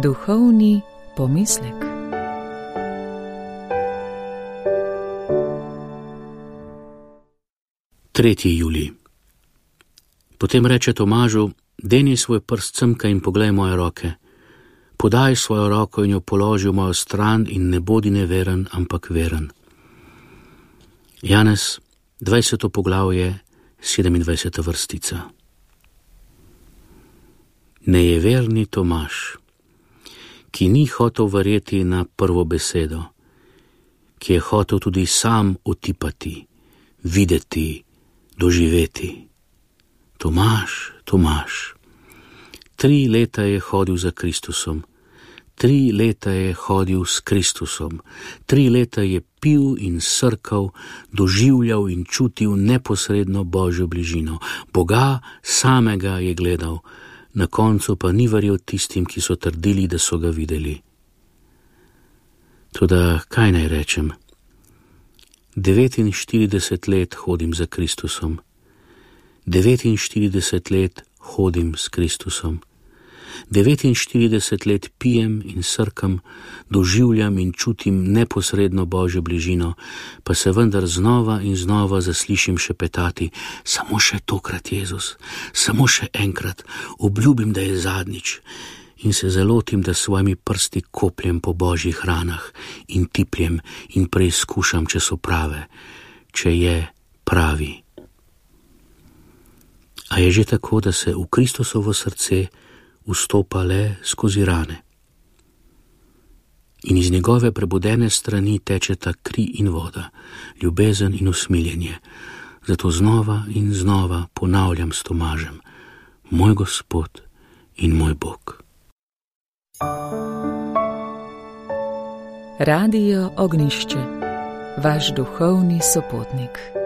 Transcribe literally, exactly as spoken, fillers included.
Duhovni pomislek. tretji julij. Potem reče Tomažu: deni svoj prst semka in poglej moje roke. Podaj svojo roko in jo položi v mojo stran in ne bodi neveren, ampak veren. Janez, dvajseto poglavje, sedemindvajseta vrstica. Nejeverni Tomaž, ki ni hotel verjeti na prvo besedo, ki je hotel tudi sam otipati, videti, doživeti. Tomaž, Tomaž, tri leta je hodil za Kristusom, tri leta je hodil s Kristusom, tri leta je pil in srkal, doživljal in čutil neposredno Božjo bližino. Boga samega je gledal, na koncu pa ni verjel tistim, ki so trdili, da so ga videli. Toda kaj naj rečem? devetinštirideset let hodim za Kristusom. devetinštirideset let hodim s Kristusom. devetinštirideset let pijem in srkam, doživljam in čutim neposredno Božjo bližino, pa se vendar znova in znova zaslišim šepetati: samo še tokrat, Jezus, samo še enkrat, obljubim, da je zadnjič. In se zalotim, da svojimi prsti kopljem po Božjih ranah in tipljem in preizkušam, če so prave, če je pravi. A je že tako, da se v Kristusovo srce vstopa le skozi rane. In iz njegove prebudene strani tečeta kri in voda, ljubezen in usmiljenje. Zato znova in znova ponavljam s Tomažem: moj Gospod in moj Bog. Radio Ognjišče, vaš duhovni sopotnik.